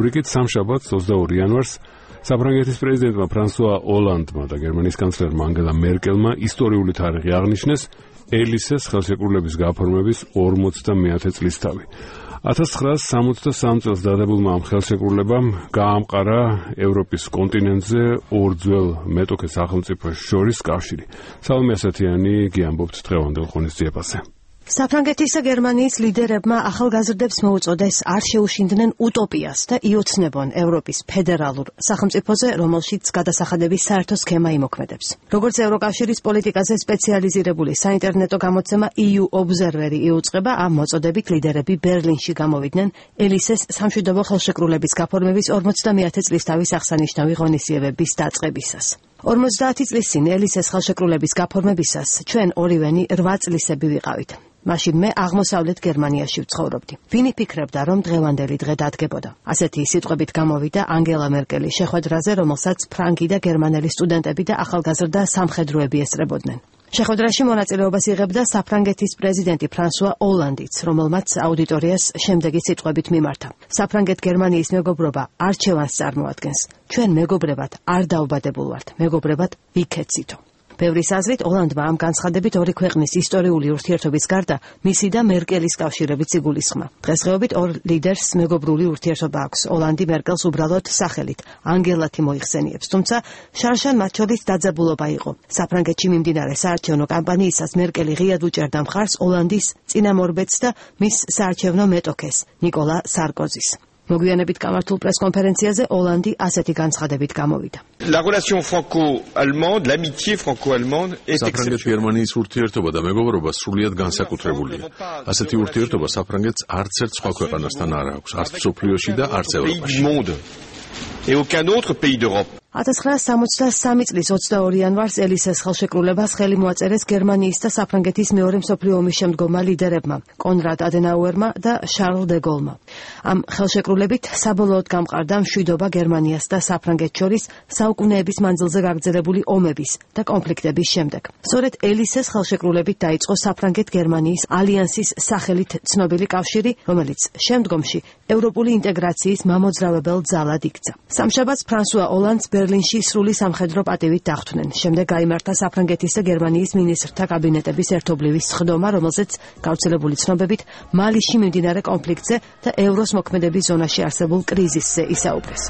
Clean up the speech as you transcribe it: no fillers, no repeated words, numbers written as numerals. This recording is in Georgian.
რიგით სამშაბათს 22 იანვარს საფრანგეთის პრეზიდენტმა ფრანსუა ოლანდმა და გერმანიის კანცლერმა ანგელა მერკელმა ისტორიული თარიღი აღნიშნეს ელისეს ხელშეკრულების გაფორმების 50-მეათე წლისთავი. 1963 წელს დადებულმა ამ ხელშეკრულებამ გაამყარა ევროპის კონტინენტზე ორ ძველ მეტოქე სახელმწიფოს შორის კავშირი. სალომე ასათიანი გიამბობთ დღევანდელ ღონისძიებაზე. საფრანგეთის და გერმანიის ლიდერებმა ახალგაზრდებს მოუწოდეს არ შეუშინდნენ utopიას და იოცნებონ ევროპის ფედერალურ სახელმწიფოზე, რომელშიც გადასახადების საერთო სქემა იმოქმედებს. როგორც ევროკავშირის პოლიტიკაზე სპეციალიზირებული საინტერნეტო გამოცემა EU Observer-ი იუწყება, ამ მოწოდებით ლიდერები ბერლინში გამოვიდნენ ელისეს სამშვიდობო ხელშეკრულების გაფორმების 50-მეათე წლისთავის აღსანიშნავი ღონისძიებების დაწყებისას. 50 წლის წინ ელისეს ხელშეკრულების გაფორმებისას ჩვენ ორივენი 8 წლისები ვიყავით. მაშინ მე აღმოსავლეთ გერმანიაში ვცხოვრობდი. ვინ იფიქრებდა, რომ დღევანდელი დღე დადგებოდა? ასეთი სიტყვებით გამოვიდა ანგელა მერკელის შეხვედრაზე, რომელსაც ფრანგი და გერმანელი სტუდენტები და ახალგაზრდა სამხედროები ესწრებოდნენ. შეხვედრაში მონაწილეობას იღებდა საფრანგეთის პრეზიდენტი ფრანსუა ოლანდიც, რომელმაც აუდიტორიას შემდეგი სიტყვებით მიმართა. საფრანგეთ-გერმანიის მეგობრობა არჩევანს წარმოადგენს. ჩვენ მეგობრებად არ დაუბადებულ ვართ, მეგობრებად ვიქეცითო. ბევრის აზრით ოლანდმა ამ განცხადებით ორი ქვეყნის ისტორიული ურთიერთობის გარდა მისი და მერკელის კავშირებიც იგულისხმა. დღესდღეობით ორ ლიდერს მეგობრული ურთიერთობა აქვს. ოლანდი მერკელს უბრალოდ სახელით ანგელათი მოიხსენიებს, თუმცა შარშან მათ შორის დაძაბულობა იყო. საფრანგეთში მიმდინარე საარჩევნო კამპანიისას მერკელი ღიად უჭერდა მხარს ოლანდის წინამორბედს და მის საარჩევნო მეტოქეს ნიკოლა სარკოზის. მოგვიანებით გამართულ პრესკონფერენციაზე ოლანდი ასეთი განცხადებით გამოვიდა. La relation franco-allemande, l'amitié franco-allemande est საფრანგეთ-გერმანიის ურთიერთობა და მეგობრობა სრულიად განსაკუთრებულია. ასეთი ურთიერთობა საფრანგეთს არც ერთ სხვა ქვეყანასთან არ აქვს, არც მსოფლიოში და არც ევროპაში. Et aucun autre pays d'Europe. 1963 წლის 22 იანვარს ელისეს ხელშეკრულებას ხელი მოაწერეს გერმანიის და საფრანგეთის მეორე მსოფლიო ომის შემდგომმა ლიდერებმა, კონრად ადენაუერმა და შარლ დე გოლმა. ამ ხელშეკრულებით საბოლოოდ გამყარდა მშვიდობა გერმანიას და საფრანგეთს შორის საუკუნეების მანძილზე გაგრძელებული ომების და კონფლიქტების შემდეგ. სწორედ ელისეს ხელშეკრულებით დაიწყო საფრანგეთ-გერმანიის ალიანსის სახელით ცნობილი კავშირი, რომელიც შემდგომში ევროპული ინტეგრაციის მამოძრავებელ ძალად იქცა. სამშაბათს ფრანსუა ოლანდს ბერლინში სრული სამხედრო პატივით დახვდნენ. შემდეგ გაიმართა საფრანგეთის და გერმანიის მინისტრთა კაბინეტების ერთობლივი სხდომა, რომელზეც გავრცელებული ცნობებით მალიში მიმდინარე კონფლიქტზე და ევროს მოქმედების ზონაში არსებულ კრიზისზე ისაუბრეს.